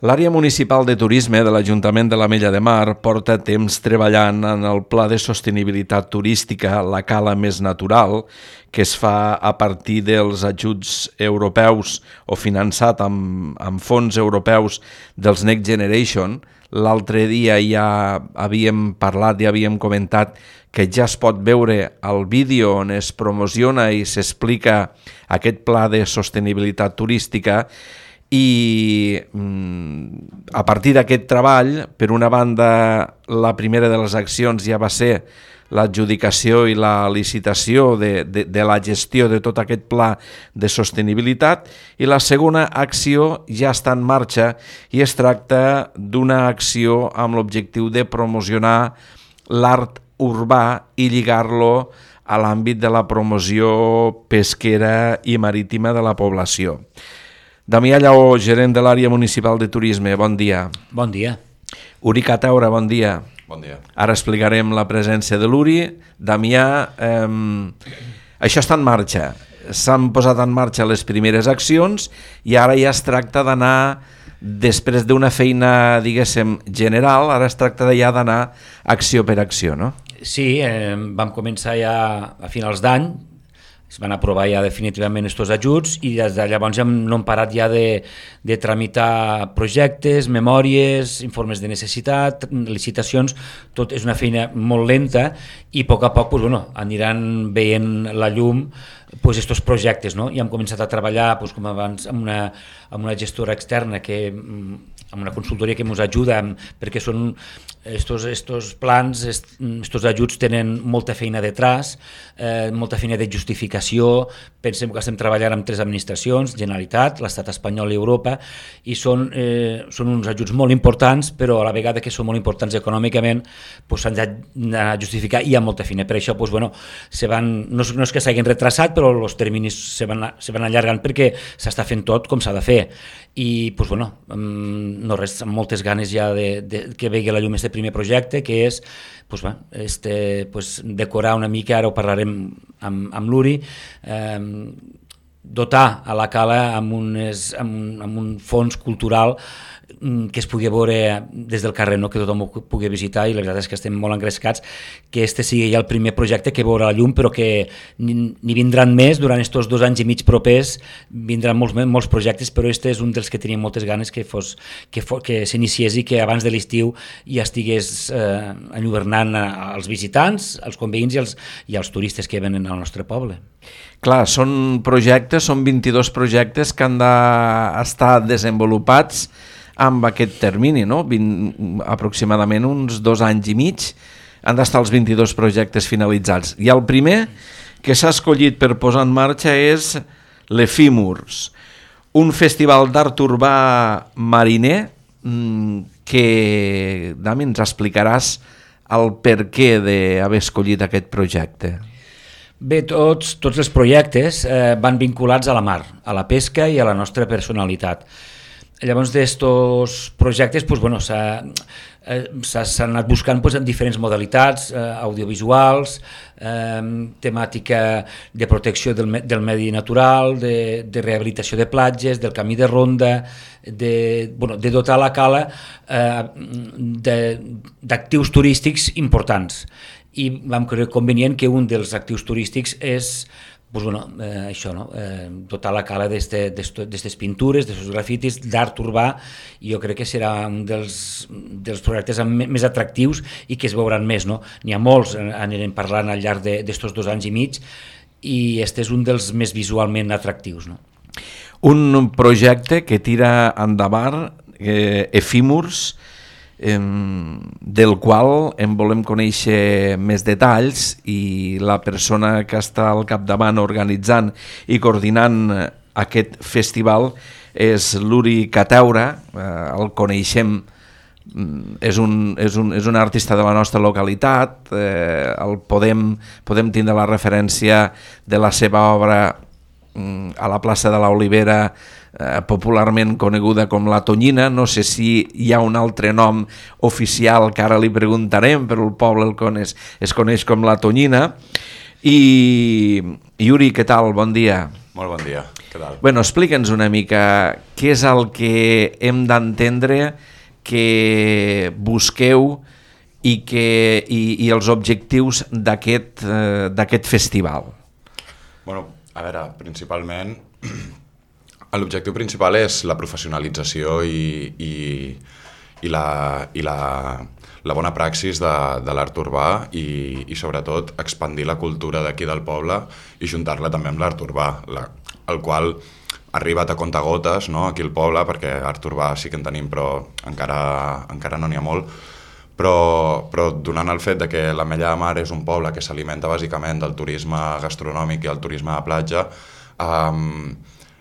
L'àrea municipal de turisme de l'Ajuntament de l'Ametlla de Mar porta temps treballant en el Pla de Sostenibilitat Turística La Cala Més Natural, que es fa a partir dels ajuts europeus o finançat amb fons europeus dels Next Generation. L'altre dia ja havíem parlat, ja havíem comentat que ja es pot veure el vídeo on es promociona i s'explica aquest pla de sostenibilitat turística. I a partir d'aquest treball, per una banda, la primera de les accions ja va ser l'adjudicació i la licitació de la gestió de tot aquest pla de sostenibilitat, i la segona acció ja està en marxa i es tracta d'una acció amb l'objectiu de promocionar l'art urbà i lligar-lo a l'àmbit de la promoció pesquera i marítima de la població. Damià Lleó, gerent de l'àrea municipal de turisme, bon dia. Bon dia. Uri Cataura, bon dia. Bon dia. Ara explicarem la presència de l'Uri. Damià, això està en marxa. S'han posat en marxa les primeres accions i ara ja es tracta d'anar, després d'una feina, diguéssim, general, ara es tracta ja d'anar acció per acció, no? Sí, vam començar ja a finals d'any, es van aprovar ja definitivament aquests ajuts i des de llavors no hem parat ja de tramitar projectes, memòries, informes de necessitat, licitacions. Tot és una feina molt lenta i a poc aniran veient la llum aquests projectes, no? I hem començat a treballar, com abans, amb una gestora externa, amb una consultoria que ens ajuda, perquè són estos plans, estos ajuts tenen molta feina detrás, molta feina de justificació. Pensem que estem treballant amb 3 administracions, Generalitat, l'Estat espanyol i Europa, i són uns ajuts molt importants, però a la vegada que són molt importants econòmicament s'han de justificar i hi ha molta feina. Per això no és que s'hagin retrasat, però els terminis se van allargant perquè s'està fent tot com s'ha de fer. I no res, amb moltes ganes ja que vegi la llum este primer projecte, que és decorar una mica, ara ho parlarem amb l'Uri, dotar a la cala amb un fons cultural que es pugui veure des del carrer, que tothom ho pugui visitar, i la veritat és que estem molt engrescats que este sigui ja el primer projecte que veurà la llum, però que n'hi vindran més durant aquests 2 anys i mig propers, vindran molts projectes, però este és un dels que teníem moltes ganes que s'iniciés i que abans de l'estiu ja estigués enlluernant als visitants, als conveïns i als turistes que venen al nostre poble. Clar, són 22 projectes que han d'estar desenvolupats amb aquest termini, no? Aproximadament uns 2 anys i mig han d'estar els 22 projectes finalitzats. I el primer que s'ha escollit per posar en marxa és l'Efímurs, un festival d'art urbà mariner que, Dami, ens explicaràs el perquè d'haver escollit aquest projecte. Bé, tots els projectes van vinculats a la mar, a la pesca i a la nostra personalitat. Llavors, d'estos projectes s'han anat buscant en diferents modalitats, audiovisuals, temàtica de protecció del medi natural, de rehabilitació de platges, del camí de ronda, de dotar la cala d'actius turístics importants. I vam creure convenient que un dels actius turístics és dotar la cala d'aquestes pintures, d'aquests grafitis, d'art urbà, i jo crec que serà un dels projectes més atractius i que es veuran més. N'hi ha molts, anirem parlant al llarg d'aquests 2 anys i mig, i este és un dels més visualment atractius. Un projecte que tira endavant Efímurs, del qual en volem conèixer més detalls, i la persona que està al capdavant organitzant i coordinant aquest festival és l'Uri Cataura. El coneixem, és un artista de la nostra localitat, el podem tindre la referència de la seva obra a la plaça de l'Olivera, popularment coneguda com la Tonyina. No sé si hi ha un altre nom oficial que ara li preguntarem, però el poble es coneix com la Tonyina. I Uri, què tal? Bon dia. Molt bon dia. Què tal? Bueno, explica'ns una mica què és el que hem d'entendre que busqueu i els objectius d'aquest festival. Bueno, a veure, principalment, l'objectiu principal és la professionalització i la bona praxis de l'art urbà i sobretot expandir la cultura d'aquí del poble i juntar-la també amb l'art urbà, el qual ha arribat a contagotes, no?, aquí al poble, perquè art urbà sí que en tenim, però encara no n'hi ha molt. Però donant el fet de que l'Ametlla de Mar és un poble que s'alimenta bàsicament del turisme gastronòmic i el turisme de platja,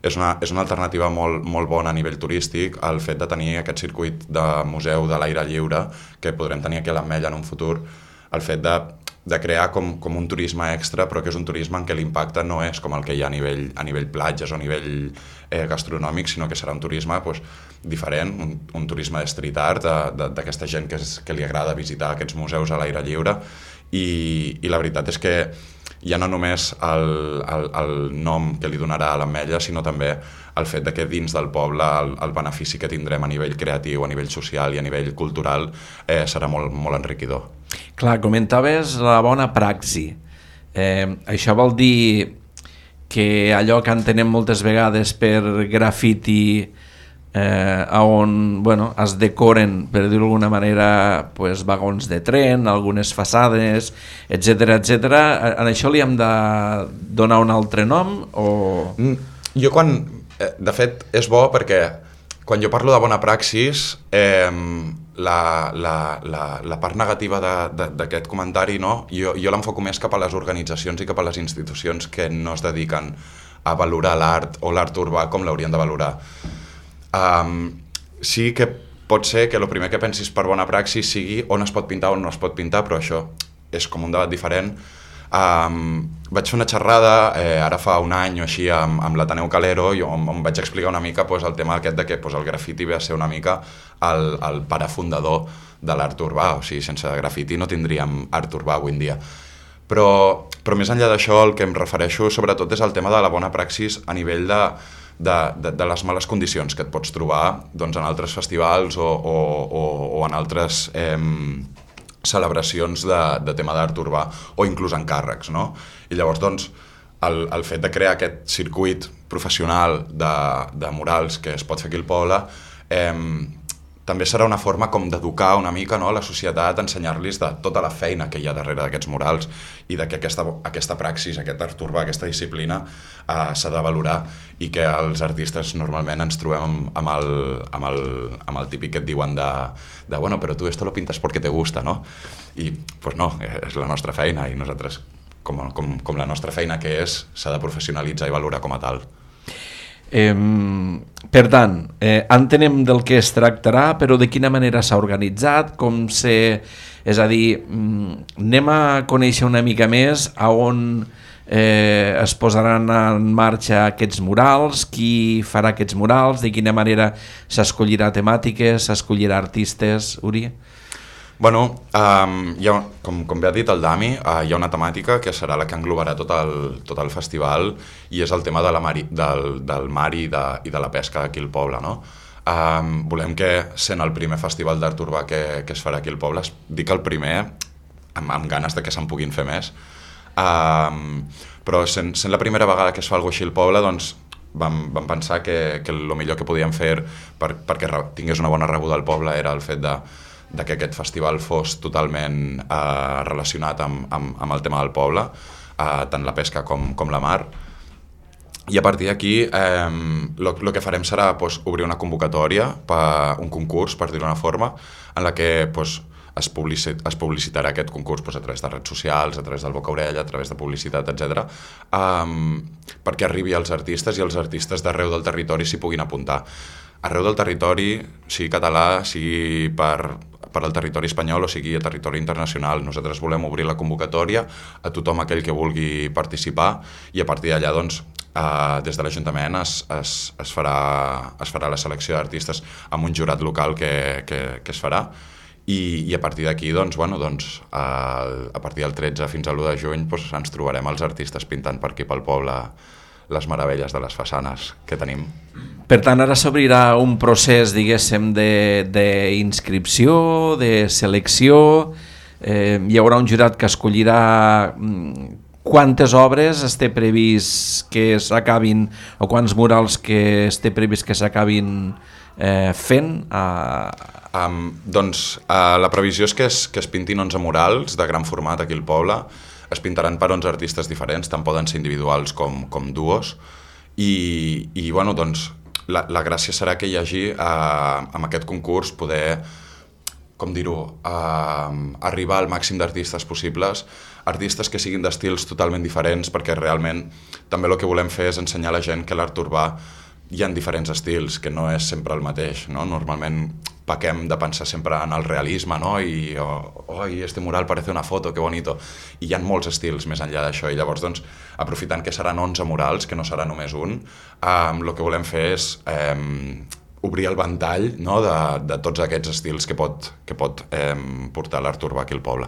és una alternativa molt bona a nivell turístic el fet de tenir aquest circuit de museu de l'aire lliure que podrem tenir aquí a l'Ametlla en un futur, el fet de crear com un turisme extra, però que és un turisme en què l'impacte no és com el que hi ha a nivell platges o a nivell gastronòmic, sinó que serà un turisme diferent, un turisme de street art, d'aquesta gent que li agrada visitar aquests museus a l'aire lliure, i la veritat és que ja no només el nom que li donarà a l'Ametlla, sinó també el fet de que dins del poble el benefici que tindrem a nivell creatiu, a nivell social i a nivell cultural serà molt, molt enriquidor. Clar, comentaves la bona praxi. Això vol dir que allò que entenem moltes vegades per graffiti, on es decoren, per dir-ho d'alguna manera, vagons de tren, algunes façades, etc. En això li hem de donar un altre nom? Jo de fet, és bo perquè quan jo parlo de bona praxis, la part negativa d'aquest comentari, no? Jo l'enfoco més cap a les organitzacions i cap a les institucions que no es dediquen a valorar l'art o l'art urbà com l'haurien de valorar. Sí que pot ser que el primer que pensis per bona praxis sigui on es pot pintar o on no es pot pintar, però això és com un debat diferent. Vaig fer una xerrada ara fa un any o així amb l'Ateneu Calero, on vaig explicar una mica el tema aquest de que el grafiti ve a ser una mica el pare fundador de l'art urbà, o sigui, sense grafiti no tindríem art urbà avui en dia. Però més enllà d'això, el que em refereixo sobretot és el tema de la bona praxis a nivell de les males condicions que et pots trobar en altres festivals o en altres celebracions de tema d'art urbà o inclús encàrrecs, no? I llavors, el fet de crear aquest circuit professional de murals que es pot fer aquí al poble també serà una forma com d'educar una mica, no, la societat, ensenyar-los de tota la feina que hi ha darrere d'aquests murals i de que aquesta praxis, aquest art urbà, aquesta disciplina s'ha de valorar i que els artistes normalment ens trobem amb el típic que et diuen de bueno, però tu esto lo pintas porque te gusta, no? I pues no, és la nostra feina i nosaltres, com la nostra feina que és, s'ha de professionalitzar i valorar com a tal. Per tant, entenem del que es tractarà, però de quina manera s'ha organitzat, és a dir, anem a conèixer una mica més a on es posaran en marxa aquests murals, qui farà aquests murals, de quina manera s'escollirà temàtiques, s'escollirà artistes, Uri? Bueno, com bé ha dit el Dami, hi ha una temàtica que serà la que englobarà tot el festival i és el tema del mar i de la pesca aquí al poble, no? Volem que, sent el primer festival d'art urbà que es farà aquí al poble, dic el primer amb ganes de que se'n puguin fer més, però sent la primera vegada que es fa alguna cosa així al poble, doncs vam pensar que el millor que podíem fer perquè tingués una bona rebuda al poble era el fet de que aquest festival fos totalment relacionat amb el tema del poble, tant la pesca com la mar. I a partir d'aquí el que farem serà obrir una convocatòria, un concurs, per dir-ho d'una forma, en la que es publicitarà aquest concurs a través de redes socials, a través del boca-orella, a través de publicitat, etc., perquè arribi als artistes i els artistes d'arreu del territori s'hi puguin apuntar. Arreu del territori, sigui català, sigui per al territori espanyol o sigui a territori internacional. Nosaltres volem obrir la convocatòria a tothom aquell que vulgui participar i a partir d'allà, doncs, des de l'Ajuntament es farà la selecció d'artistes amb un jurat local que es farà i a partir d'aquí, doncs, a partir del 13 fins a l'1 de juny ens trobarem els artistes pintant per aquí pel poble les meravelles de les façanes que tenim. Per tant, ara s'obrirà un procés, diguéssim, d'inscripció, de selecció, hi haurà un jurat que escollirà quantes obres té previst que s'acabin, o quants murals que té previst que s'acabin fent? Doncs la previsió és que es pintin 11 murals de gran format aquí al poble. Es pintaran per 11 artistes diferents, tant poden ser individuals com duos, i bueno, doncs la gràcia serà que hi hagi amb aquest concurs poder, com dir-ho, arribar al màxim d'artistes possibles, artistes que siguin d'estils totalment diferents, perquè realment també el que volem fer és ensenyar a la gent que l'art urbà hi ha diferents estils, que no és sempre el mateix, no? Normalment pequem de pensar sempre en el realisme, no? I este mural parece una foto, que bonito. I hi ha molts estils més enllà d'això, i llavors, doncs, aprofitant que seran 11 murals, que no serà només un, el que volem fer és obrir el ventall, no? de tots aquests estils que pot portar l'art urbà aquí al poble.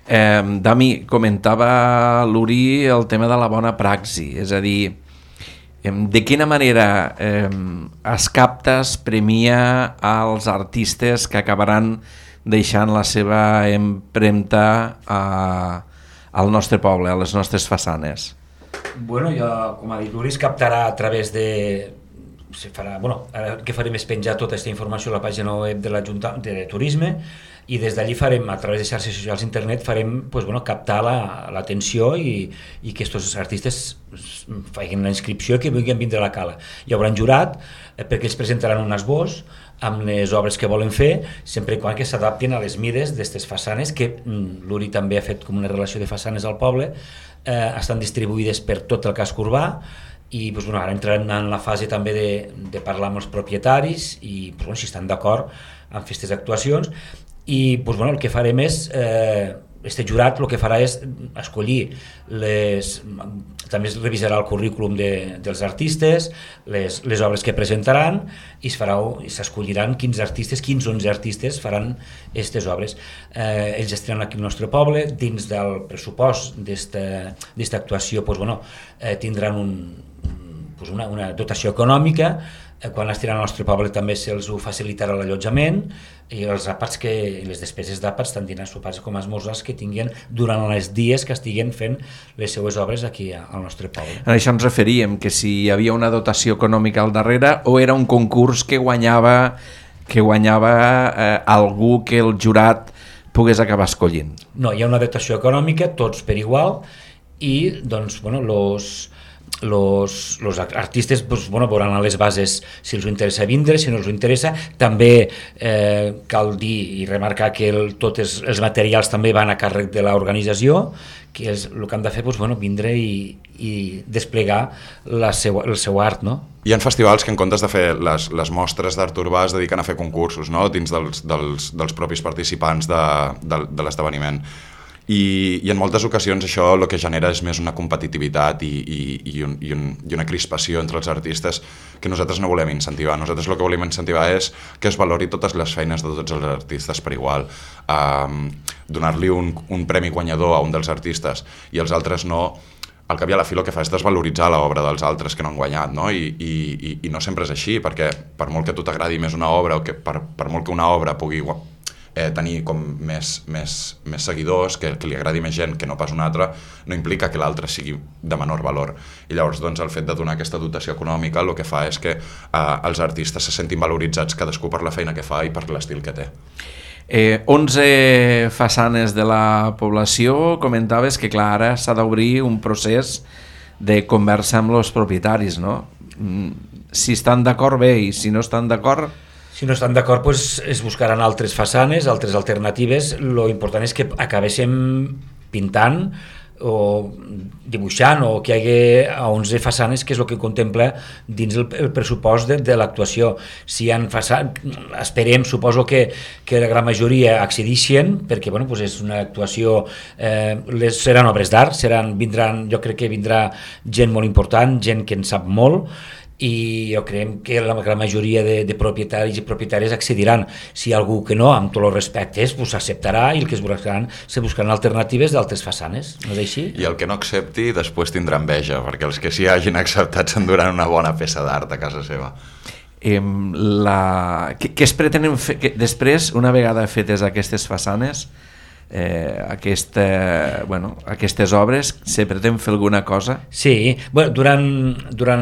Dami, comentava l'Uri el tema de la bona praxi, és a dir, de quina manera es capta, es premia als artistes que acabaran deixant la seva empremta al nostre poble, a les nostres façanes? Bueno, com ha dit l'Uri, es captarà a través de... Ara el que farem és penjar tota aquesta informació a la pàgina web de l'Ajuntament de Turisme, i des d'allí farem, a través de xarxes socials d'internet, farem captar l'atenció i que aquests artistes facin la inscripció i que vulguin vindre a la cala. Hi haurà un jurat perquè ells presentaran un esbós amb les obres que volen fer, sempre i quan que s'adaptin a les mides d'aquestes façanes, que l'Uri també ha fet com una relació de façanes al poble, estan distribuïdes per tot el casc urbà, i ara entrarem en la fase també de parlar amb els propietaris i si estan d'acord amb aquestes actuacions. I el que farem és, este jurat el que farà és escollir també es revisarà el currículum dels artistes, les obres que presentaran, i s'escolliran quins 11 artistes faran aquestes obres. Ells estaran aquí al nostre poble, dins del pressupost d'esta actuació tindran una dotació econòmica. Quan estiran al nostre poble també se'ls facilitarà l'allotjament i els àpats i les despeses d'àpats, tant dinars, sopars com esmorzars, que tinguin durant els dies que estiguen fent les seues obres aquí al nostre poble. A això ens referíem, que si hi havia una dotació econòmica al darrere o era un concurs que guanyava algú que el jurat pogués acabar escollint. No, hi ha una dotació econòmica, tots per igual, i los artistes veuran a les bases si els interessa vindre, si no els interessa. També cal dir i remarcar que tots els materials també van a càrrec de l'organització, que és el que han de fer, vindre i desplegar el seu art, no? Hi ha festivals que en comptes de fer les mostres d'art urbà es dediquen a fer concursos, no? Dins dels propis participants de l'esdeveniment. I en moltes ocasions això el que genera és més una competitivitat i una crispació entre els artistes que nosaltres no volem incentivar. Nosaltres el que volem incentivar és que es valori totes les feines de tots els artistes per igual. Donar-li un premi guanyador a un dels artistes i els altres no. Al cap i a la fi el que fa és desvaloritzar l'obra dels altres que no han guanyat, no? I no sempre és així, perquè per molt que a tu t'agradi més una obra o que per molt que una obra pugui tenir com més seguidors, que li agradi més gent que no pas una altra, no implica que l'altre sigui de menor valor. I llavors el fet de donar aquesta dotació econòmica el que fa és que els artistes se sentin valoritzats cadascú per la feina que fa i per l'estil que té. 11 façanes de la població, comentaves que clar, ara s'ha d'obrir un procés de conversa amb els propietaris, no? Si estan d'acord bé, i si no estan d'acord... Si no estan d'acord, es buscaran altres façanes, altres alternatives. Lo important és que acabéssim pintant o dibuixant o que hi hagi 11 façanes, que és el que contempla dins el pressupost de l'actuació. Si hi ha façanes, esperem, suposo que la gran majoria accedeixen, perquè és una actuació, seran obres d'art, jo crec que vindrà gent molt important, gent que en sap molt, i jo creiem que la majoria de propietaris i propietàries accediran. Si hi ha algú que no, amb tots els respectes, pues s'acceptarà i el que se buscaran alternatives d'altres façanes, no és així? I el que no accepti després tindrà enveja, perquè els que sí hagin acceptat s'enduran una bona peça d'art a casa seva. Què es pretenen fer després, una vegada fetes aquestes façanes, aquestes obres, se pretén fer alguna cosa? Sí, bueno, durant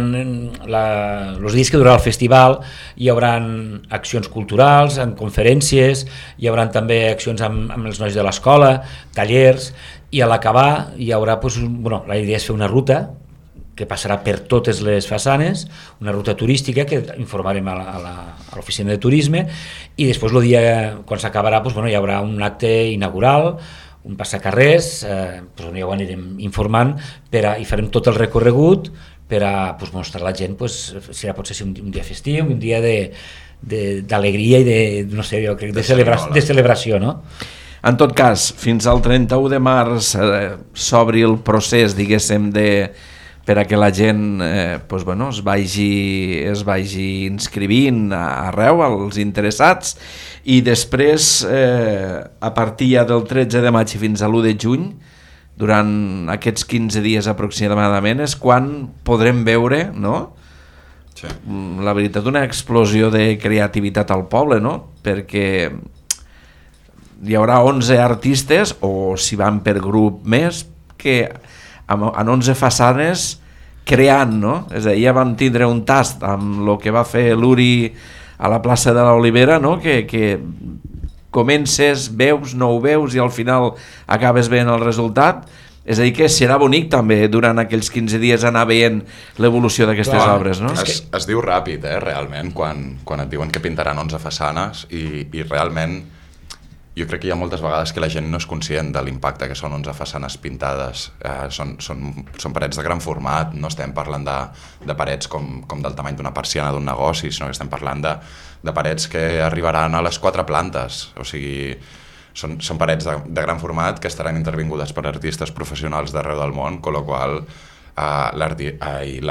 els dies que durarà el festival hi haurà accions culturals, en conferències, hi haurà també accions amb els nois de l'escola, tallers, i a l'acabar hi haurà, la idea és fer una ruta que passarà per totes les façanes, una ruta turística que informarem a l'oficina de turisme, i després el dia, quan s'acabarà, hi haurà un acte inaugural, un passacarrers, on ja ho anirem informant, i farem tot el recorregut per a mostrar a la gent, potser ser un dia festiu, un dia d'alegria i de celebració, no? En tot cas, fins al 31 de març s'obri el procés, diguéssim, per a que la gent es vagi inscrivint arreu, als interessats, i després, a partir ja del 13 de maig fins a l'1 de juny, durant aquests 15 dies aproximadament, és quan podrem veure, no? Sí. La veritat, una explosió de creativitat al poble, no? Perquè hi haurà 11 artistes, o si van per grup més, que en 11 façanes creant, no? És a dir, ja vam tindre un tast amb el que va fer l'Uri a la plaça de l'Olivera, no? Que comences, veus, no ho veus i al final acabes veient el resultat. És a dir, que serà bonic també durant aquells 15 dies anar veient l'evolució d'aquestes obres, no? Es diu ràpid, realment, quan et diuen que pintaran 11 façanes i realment jo crec que hi ha moltes vegades que la gent no és conscient de l'impacte que són 11 façanes pintades. Són parets de gran format, no estem parlant de parets com del tamany d'una persiana d'un negoci, sinó que estem parlant de parets que arribaran a les 4 plantes. O sigui, són parets de gran format que estaran intervingudes per artistes professionals d'arreu del món, amb la qual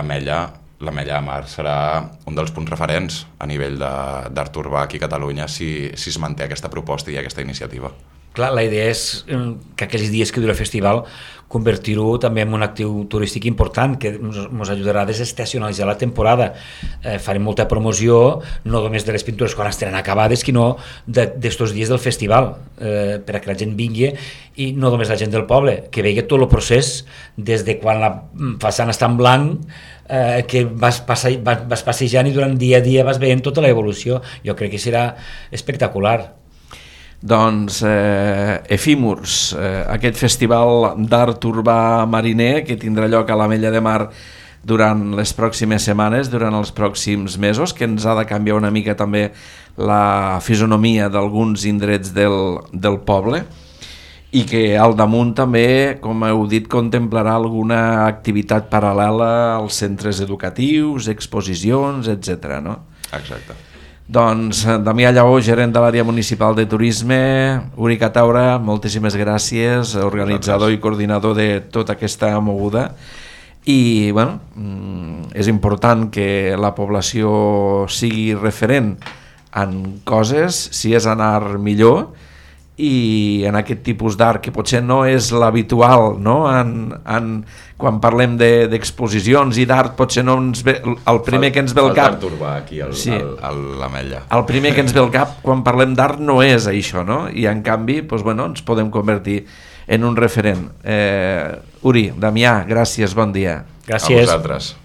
l'Ametlla de Mar serà un dels punts referents a nivell d'art urbà aquí a Catalunya si es manté aquesta proposta i aquesta iniciativa. Clar, la idea és que aquells dies que dura el festival convertir-ho també en un actiu turístic important que ens ajudarà a desestacionalitzar la temporada. Farem molta promoció, no només de les pintures quan estaran acabades, sinó d'estos dies del festival, per a que la gent vingui, i no només la gent del poble, que vegi tot el procés des de quan la façana està en blanc, que vas passejant i durant dia a dia vas veient tota l'evolució. Jo crec que serà espectacular. Doncs Efímurs, aquest festival d'art urbà mariner que tindrà lloc a l'Ametlla de Mar durant les pròximes setmanes, durant els pròxims mesos, que ens ha de canviar una mica també la fisonomia d'alguns indrets del poble, i que al damunt també, com heu dit, contemplarà alguna activitat paral·lela als centres educatius, exposicions, etc. no? Exacte. Doncs Damià Lleó, gerent de l'àrea municipal de turisme, Uri Cataura, moltíssimes gràcies, organitzador i coordinador de tota aquesta moguda. I bueno, és important que la població sigui referent en coses, si és anar millor, i en aquest tipus d'art que potser no és l'habitual, no? Quan parlem d'exposicions i d'art potser no ens ve el primer que ens ve al cap. L'art urbà aquí a l'Ametlla. El primer que ens ve al cap quan parlem d'art no és això, no? I en canvi ens podem convertir en un referent. Uri, Damià, gràcies, bon dia. Gràcies. A vosaltres.